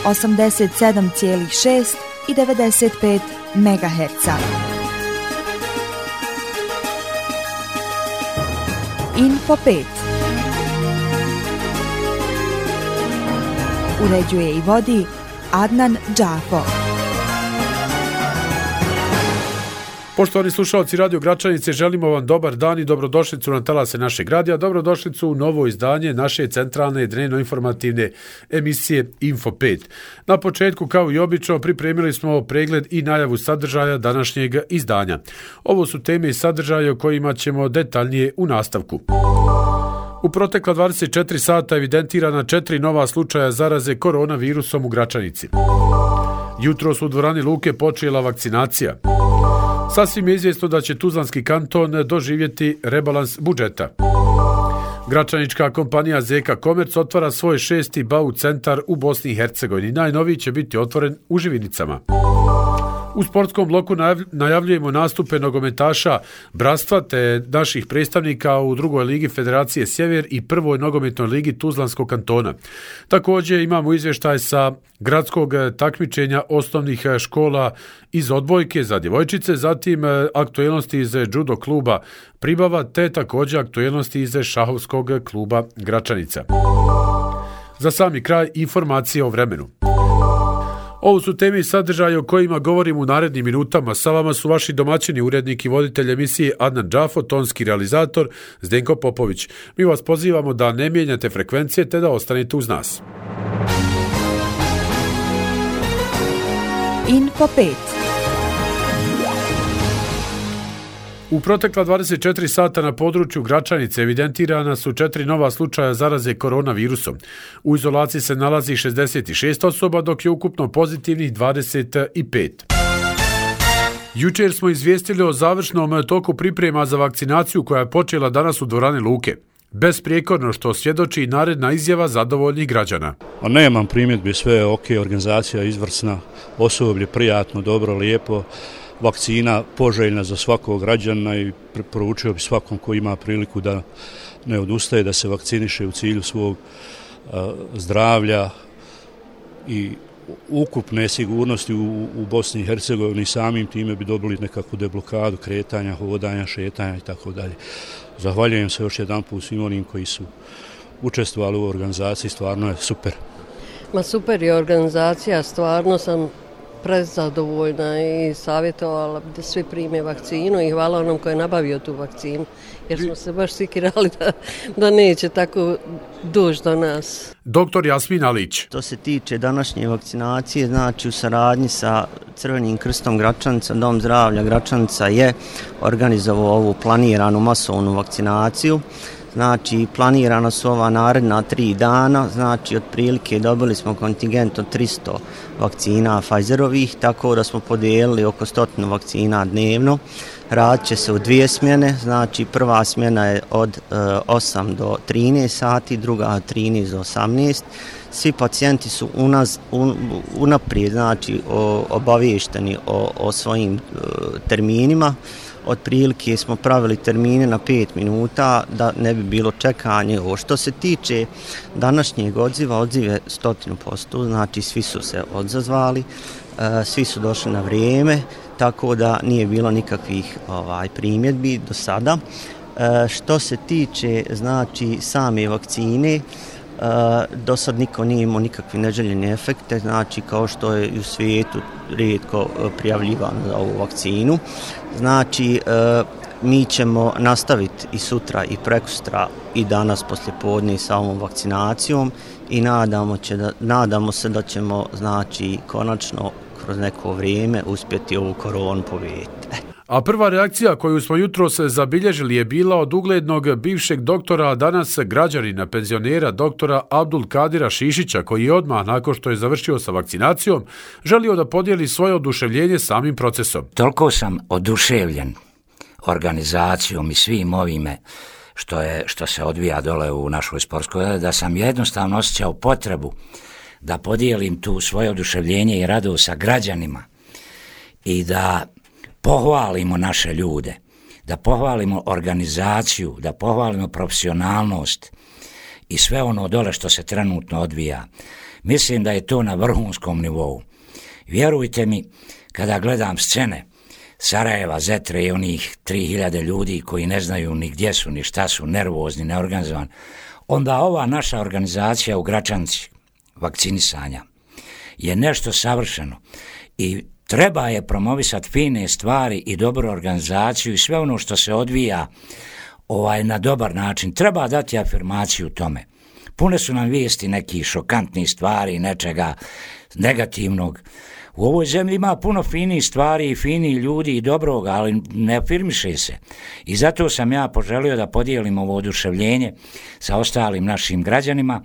87,6 i 95 MHz. Info 5. Uređuje i vodi Adnan Džafo. Poštovani slušalci Radio Gračanice, želimo vam dobar dan i dobrodošlicu na talase našeg radija, dobrodošlicu u novo izdanje naše centralne dnevno-informativne emisije Info 5. Na početku, kao i obično, pripremili smo pregled i najavu sadržaja današnjeg izdanja. Ovo su teme i sadržaje o kojima ćemo detaljnije u nastavku. U protekla 24 sata evidentirana 4 nova slučaja zaraze koronavirusom u Gračanici. Jutros u dvorani Luke počela vakcinacija. Sasvim je izvjesno da će Tuzlanski kanton doživjeti rebalans budžeta. Gračanička kompanija Zeka Komerc otvara svoj 6. BAU centar u Bosni i Hercegovini. Najnoviji će biti otvoren u Živinicama. U sportskom bloku najavljujemo nastupe nogometaša Bratstva te naših predstavnika u drugoj ligi Federacije Sjever i prvoj nogometnoj ligi Tuzlanskog kantona. Također imamo izvještaj sa gradskog takmičenja osnovnih škola iz odbojke za djevojčice, zatim aktuelnosti iz judo kluba Pribava te također aktuelnosti iz šahovskog kluba Gračanica. Za sami kraj informacije o vremenu. Ovo su teme i sadržaje o kojima govorimo u narednim minutama. Sa vama su vaši domaćini, urednik i voditelj emisije Adnan Džafo, tonski realizator Zdenko Popović. Mi vas pozivamo da ne mijenjate frekvencije te da ostanete uz nas. Info 5. U protekla 24 sata na području Gračanice evidentirana su 4 nova slučaja zaraze koronavirusom. U izolaciji se nalazi 66 osoba, dok je ukupno pozitivnih 25. Jučer smo izvijestili o završnom toku priprema za vakcinaciju koja je počela danas u dvorani Luke. Besprijekorno, što svjedoči naredna izjava zadovoljnih građana. Nemam primjedbi, sve je ok, organizacija izvrsna, osoblje prijatno, dobro, lijepo. Vakcina poželjna za svakog građana i preporučio bi svakom ko ima priliku da ne odustaje, da se vakciniše u cilju svog zdravlja i ukupne sigurnosti u Bosni i Hercegovini. Samim time bi dobili nekakvu deblokadu kretanja, hodanja, šetanja i tako dalje. Zahvaljujem se još jedan put svim onim koji su učestvovali u organizaciji, stvarno je super. Super je organizacija, stvarno sam prezadovoljna i savjetovala da svi prime vakcinu i hvala onom koji je nabavio tu vakcinu, jer smo se baš sikirali da neće tako doći do nas. Doktor Jasmin Alić. To se tiče današnje vakcinacije, znači u saradnji sa Crvenim krstom Gračanica, Dom zdravlja Gračanica je organizovao ovu planiranu masovnu vakcinaciju. Znači, planirana su ova naredna 3 dana, znači otprilike dobili smo kontingent od 300 vakcina Pfizerovih, tako da smo podijelili oko 100 vakcina dnevno. Radit će se u 2 smjene, znači prva smjena je od 8 do 13 sati, druga od 13 do 18. Svi pacijenti su unaprijed, znači obaviješteni o svojim terminima. Otprilike smo pravili termine na 5 minuta da ne bi bilo čekanje. Što se tiče današnjeg odziva, odziv je 100%, znači svi su se odzvali, svi su došli na vrijeme, tako da nije bilo nikakvih primjedbi do sada. Što se tiče znači same vakcine, do sad niko nije imao nikakve neželjene efekte, znači kao što je u svijetu rijetko prijavljivano za ovu vakcinu. Znači mi ćemo nastaviti i sutra i prekosutra i danas poslijepodne sa ovom vakcinacijom i nadamo se da ćemo znači konačno kroz neko vrijeme uspjeti ovu koronu pobijediti. A prva reakcija koju smo jutros zabilježili je bila od uglednog bivšeg doktora, a danas građanina, penzionera doktora Abdul Kadira Šišića, koji je odmah nakon što je završio sa vakcinacijom želio da podijeli svoje oduševljenje samim procesom. Toliko sam oduševljen organizacijom i svim ovime što se odvija dole u našoj sportskoj, da sam jednostavno osjećao potrebu da podijelim tu svoje oduševljenje i radost sa građanima i da pohvalimo naše ljude, da pohvalimo organizaciju, da pohvalimo profesionalnost i sve ono dole što se trenutno odvija. Mislim da je to na vrhunskom nivou. Vjerujte mi, kada gledam scene Sarajeva, Zetre i onih 3000 ljudi koji ne znaju ni gdje su, ni šta su, nervozni, neorganizovani, onda ova naša organizacija u Gračanci vakcinisanja je nešto savršeno i treba je promovisati fine stvari i dobru organizaciju i sve ono što se odvija na dobar način. Treba dati afirmaciju tome. Pune su nam vijesti nekih šokantnih stvari, nečega negativnog. U ovoj zemlji ima puno finih stvari i finih ljudi i dobroga, ali ne afirmiše se. I zato sam ja poželio da podijelim ovo oduševljenje sa ostalim našim građanima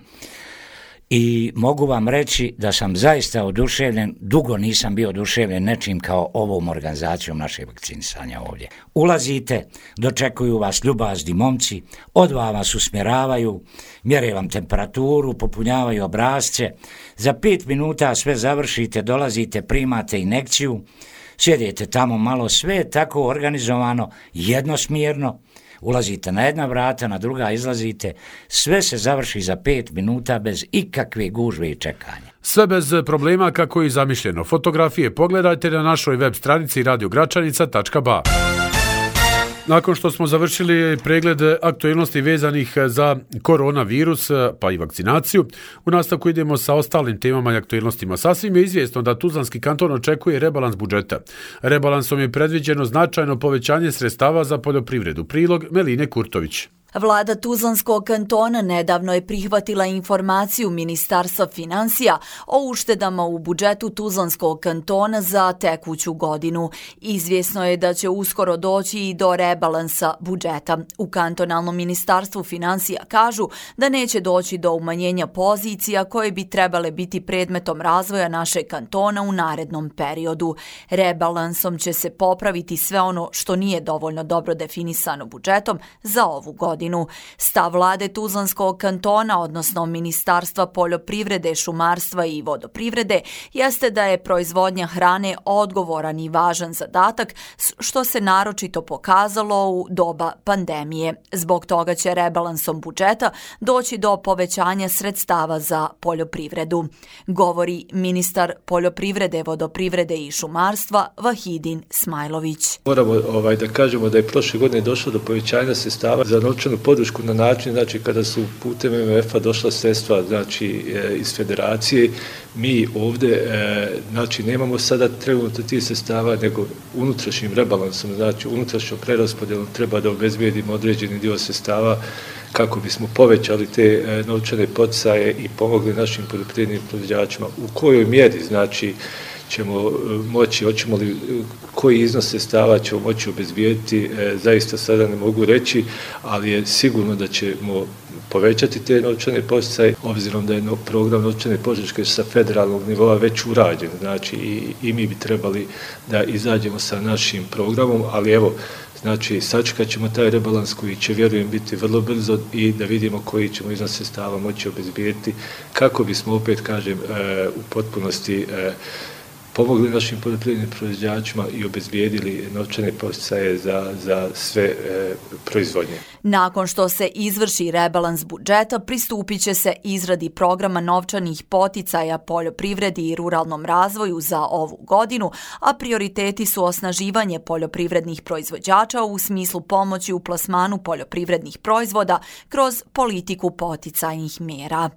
i mogu vam reći da sam zaista oduševljen, dugo nisam bio oduševljen nečim kao ovom organizacijom naše vakcinisanja ovdje. Ulazite, dočekuju vas ljubazni momci, odva vas usmjeravaju, mjere vam temperaturu, popunjavaju obrasce, za 5 minuta sve završite, dolazite, primate injekciju, sjedite tamo malo, sve je tako organizovano, jednosmjerno, ulazite na jedna vrata, na druga izlazite, sve se završi za 5 minuta bez ikakve gužve i čekanja. Sve bez problema kako je zamišljeno. Fotografije pogledajte na našoj web stranici radiogračanica.ba. Nakon što smo završili pregled aktualnosti vezanih za koronavirus pa i vakcinaciju, u nastavku idemo sa ostalim temama i aktualnostima. Sasvim je izvjesno da Tuzlanski kanton očekuje rebalans budžeta. Rebalansom je predviđeno značajno povećanje sredstava za poljoprivredu. Prilog Meline Kurtović. Vlada Tuzlanskog kantona nedavno je prihvatila informaciju Ministarstva financija o uštedama u budžetu Tuzlanskog kantona za tekuću godinu. Izvjesno je da će uskoro doći i do rebalansa budžeta. U kantonalnom ministarstvu financija kažu da neće doći do umanjenja pozicija koje bi trebale biti predmetom razvoja našeg kantona u narednom periodu. Rebalansom će se popraviti sve ono što nije dovoljno dobro definisano budžetom za ovu godinu. Stav vlade Tuzlanskog kantona, odnosno Ministarstva poljoprivrede, šumarstva i vodoprivrede, jeste da je proizvodnja hrane odgovoran i važan zadatak, što se naročito pokazalo u doba pandemije. Zbog toga će rebalansom budžeta doći do povećanja sredstava za poljoprivredu, govori ministar poljoprivrede, vodoprivrede i šumarstva Vahidin Smajlović. Moramo da kažemo da je prošle godine došlo do povećanja sredstava za novčanu podršku na način, kada su putem MMF-a došla sredstva, iz federacije, mi ovdje, nemamo sada trenutno tih sredstava, nego unutrašnjim rebalansom, unutrašnjom preraspodjelom treba da obezbijedimo određeni dio sredstava kako bismo povećali te novčane poticaje i pomogli našim poljoprivrednim proizvođačima. U kojoj mjeri, ćemo moći, hoćemo li, koji iznos sredstava ćemo moći obezbijediti, zaista sada ne mogu reći, ali je sigurno da ćemo povećati te novčane poticaje, obzirom da je program novčane podrške sa federalnog nivoa već urađen, i mi bi trebali da izađemo sa našim programom, ali evo, sačekat ćemo taj rebalans koji će, vjerujem, biti vrlo brzo i da vidimo koji ćemo iznos sredstava moći obezbijediti kako bismo, opet kažem, u potpunosti pomogli našim poljoprivrednim proizvođačima i obezbijedili novčane poticaje za sve proizvodnje. Nakon što se izvrši rebalans budžeta, pristupit će se izradi programa novčanih poticaja poljoprivredi i ruralnom razvoju za ovu godinu, a prioriteti su osnaživanje poljoprivrednih proizvođača u smislu pomoći u plasmanu poljoprivrednih proizvoda kroz politiku poticajnih mjera.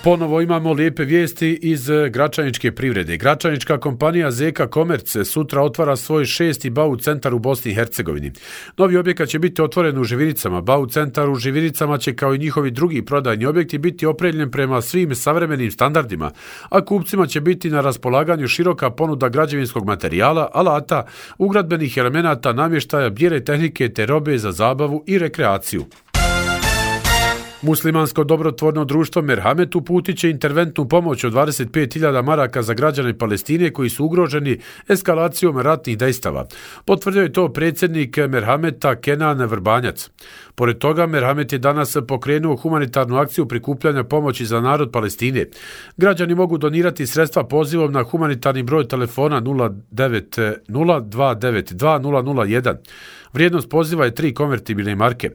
Ponovo imamo lijepe vijesti iz gračaničke privrede. Gračanička kompanija Zeka Komerc sutra otvara svoj 6. BAU centar u Bosni i Hercegovini. Novi objekat će biti otvoren u Živinicama. BAU centar u Živinicama će, kao i njihovi drugi prodajni objekti, biti opremljen prema svim savremenim standardima, a kupcima će biti na raspolaganju široka ponuda građevinskog materijala, alata, ugradbenih elemenata, namještaja, bijele tehnike te robe za zabavu i rekreaciju. Muslimansko dobrotvorno društvo Merhamet uputit će interventnu pomoć od 25.000 maraka za građane Palestine koji su ugroženi eskalacijom ratnih dejstava. Potvrdio je to predsjednik Merhameta Kenan Vrbanjac. Pored toga, Merhamet je danas pokrenuo humanitarnu akciju prikupljanja pomoći za narod Palestine. Građani mogu donirati sredstva pozivom na humanitarni broj telefona 090 292 001. Vrijednost poziva je 3 konvertibilne marke.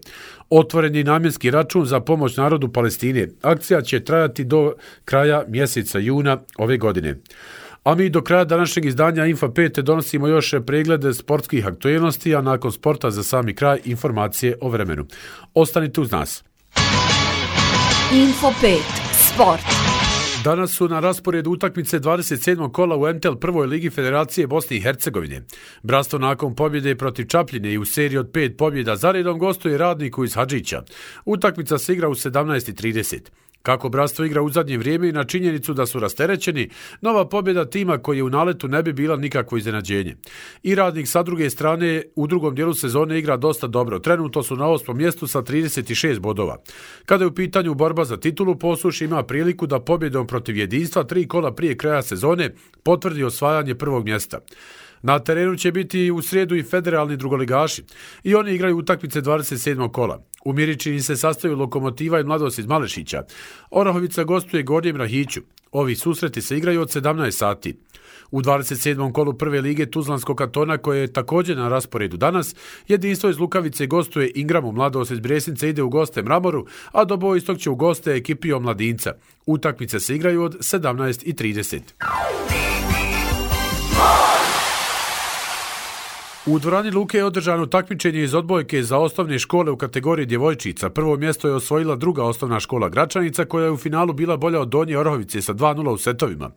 Otvoren je namjenski račun za pomoć narodu Palestine. Akcija će trajati do kraja mjeseca juna ove godine. A mi do kraja današnjeg izdanja Info 5 donosimo još preglede sportskih aktualnosti, a nakon sporta za sami kraj informacije o vremenu. Ostanite uz nas. Info 5. Sport. Danas su na rasporedu utakmice 27. kola u MTEL prvoj ligi Federacije Bosne i Hercegovine. Bratstvo nakon pobjede protiv Čapljine i u seriji od 5 pobjeda zaredom gostuje Radniku iz Hadžića. Utakmica se igra u 17:30. Kako Bratstvo igra u zadnje vrijeme i na činjenicu da su rasterećeni, nova pobjeda tima koji je u naletu ne bi bila nikakvo iznenađenje. I Radnik sa druge strane u drugom dijelu sezone igra dosta dobro. Trenutno su na 8. mjestu sa 36 bodova. Kada je u pitanju borba za titulu, Posuš ima priliku da pobjedom protiv Jedinstva 3 kola prije kraja sezone potvrdi osvajanje prvog mjesta. Na terenu će biti u srijedu i federalni drugoligaši i oni igraju utakmice 27. kola. U Miričini se sastaju Lokomotiva i Mladost iz Malešića. Orahovica gostuje Gornjem Rahiću. Ovi susreti se igraju od 17 sati. U 27. kolu prve lige Tuzlanskog kantona, koje je također na rasporedu danas, Jedinstvo iz Lukavice gostuje Ingramu, Mladost iz Brjesnice ide u goste Mramoru, a Dobo Istok će u goste ekipi Omladinca. Utakmice se igraju od 17:30. U dvorani Luke je održano takmičenje iz odbojke za osnovne škole u kategoriji djevojčica. Prvo mjesto je osvojila druga osnovna škola Gračanica, koja je u finalu bila bolja od Donje Orahovice sa 2:0 u setovima.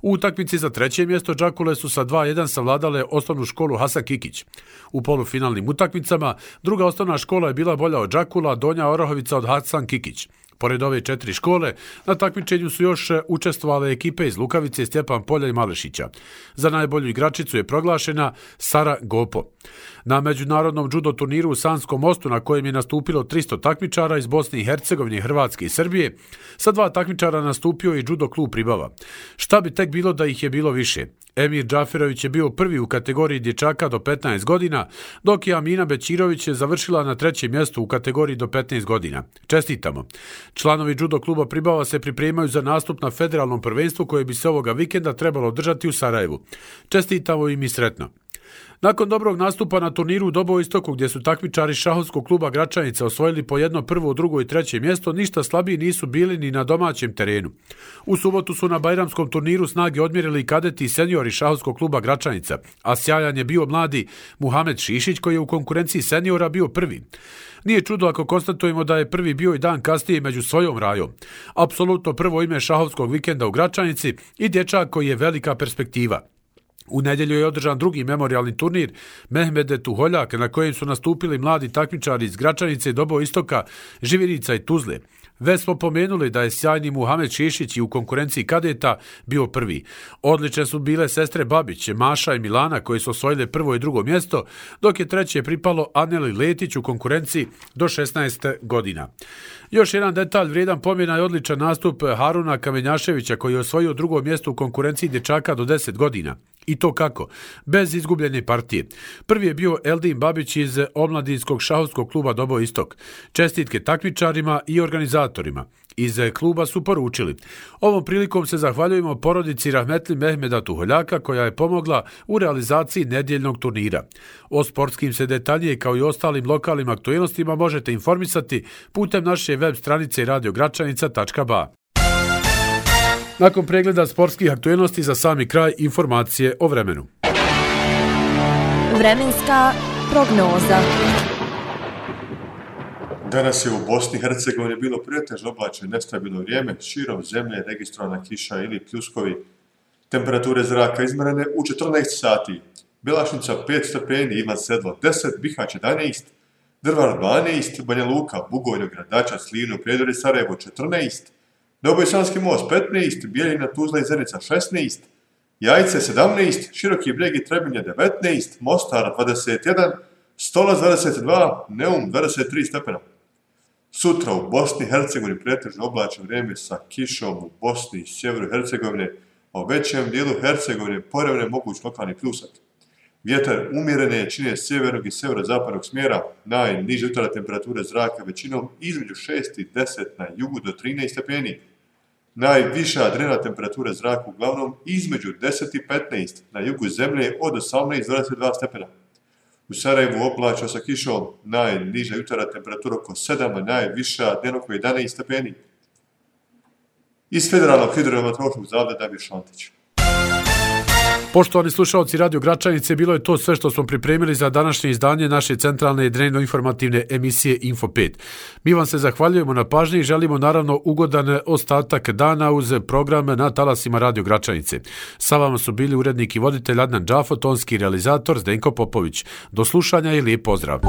U utakmici za treće mjesto Đakule su sa 2:1 savladale osnovnu školu Hasan Kikić. U polufinalnim utakmicama druga osnovna škola je bila bolja od Đakula, Donja Orahovica od Hasan Kikić. Pored ove 4 škole, na takmičenju su još učestvovale ekipe iz Lukavice, Stjepan Polja i Malešića. Za najbolju igračicu je proglašena Sara Gopo. Na međunarodnom judo turniru u Sanskom mostu, na kojem je nastupilo 300 takmičara iz Bosne i Hercegovine, Hrvatske i Srbije, sa 2 takmičara nastupio i judo klub Pribava. Šta bi tek bilo da ih je bilo više? Emir Džaferović je bio prvi u kategoriji dječaka do 15 godina, dok je Amina Bećirović je završila na 3. mjestu u kategoriji do 15 godina. Čestitamo! Članovi judo kluba Pribava se pripremaju za nastup na federalnom prvenstvu koje bi se ovoga vikenda trebalo održati u Sarajevu. Čestitamo im i sretno! Nakon dobrog nastupa na turniru u Dobo Istoku, gdje su takmičari šahovskog kluba Gračanica osvojili po jedno prvo, drugo i treće mjesto, ništa slabiji nisu bili ni na domaćem terenu. U subotu su na bajramskom turniru snage odmjerili kadeti i seniori šahovskog kluba Gračanica, a sjajan je bio mladi Muhamed Šišić, koji je u konkurenciji seniora bio prvi. Nije čudo ako konstatujemo da je prvi bio i dan kasnije među svojom rajom. Apsolutno prvo ime šahovskog vikenda u Gračanici i dječak koji je velika perspektiva. U nedjelju je održan drugi memorijalni turnir Mehmede Tuholjak, na kojem su nastupili mladi takmičari iz Gračanice, Dobo Istoka, Živirica i Tuzle. Već smo pomenuli da je sjajni Muhamed Šišić i u konkurenciji kadeta bio prvi. Odlične su bile sestre Babić, Maša i Milana, koji su osvojile prvo i drugo mjesto, dok je treće pripalo Aneli Letić u konkurenciji do 16 godina. Još jedan detalj vrijedan pomjena je odličan nastup Haruna Kamenjaševića, koji je osvojio drugo mjesto u konkurenciji dječaka do 10 godina. I to kako? Bez izgubljene partije. Prvi je bio Eldin Babić iz omladinskog šahovskog kluba Dobo Istok. Čestitke takmičarima i organizatorima. Iz kluba su poručili: ovom prilikom se zahvaljujemo porodici Rahmetli Mehmeda Tuholjaka, koja je pomogla u realizaciji nedjeljnog turnira. O sportskim se detaljije kao i ostalim lokalnim aktualnostima možete informisati putem naše web stranice radiogračanica.ba. Nakon pregleda sportskih aktualnosti za sami kraj informacije o vremenu. Vremenska prognoza. Danas je u Bosni i Hercegovini bilo pretežno oblačno i nestabilno vrijeme, širom zemlje registrovana kiša ili pljuskovi. Temperature zraka izmjerene u 14 sati. Belašnica 5 stepeni, Ivan Sedlo 10, Bihać 11, Drvar 12, Banja Luka, Bugojno, Gradača, Slivno, Prijedor i Sarajevo 14, Dobojsanski most 15, Bijeljina, Tuzla i Zenica 16, Jajce 17, Široki Brijeg i Trebinje 19, Mostar 21, Stolac 22, Neum 23 stepena. Sutra u Bosni i Hercegovini pretežno oblačno vrijeme sa kišom u Bosni i sjeveru Hercegovine, a u većem dijelu Hercegovine povremeno moguć lokalni pljusak. Vjetar umjerene jačine sjevernog i sjeverozapadnog smjera, najniže jutarnje temperature zraka većinom između 6 i 10 na jugu do 13 stepeni. Najviša dnevna temperatura zraka uglavnom između 10 i 15 na jugu zemlje od 18 do 22 stepena. U Sarajevu oblačno sa kišom, najniža jutarnja temperatura oko 7, a najviša dnevno oko 11 stepeni. Iz Federalnog hidrometeorološkog zavoda Damir Šantić. Poštovani slušalci Radio Gračanice, bilo je to sve što smo pripremili za današnje izdanje naše centralne dnevno-informativne emisije Info 5. Mi vam se zahvaljujemo na pažnji i želimo naravno ugodan ostatak dana uz program na talasima Radio Gračanice. Sa vama su bili urednik i voditelj Adnan Džafo, tonski realizator Zdenko Popović. Do slušanja i lijep pozdrav!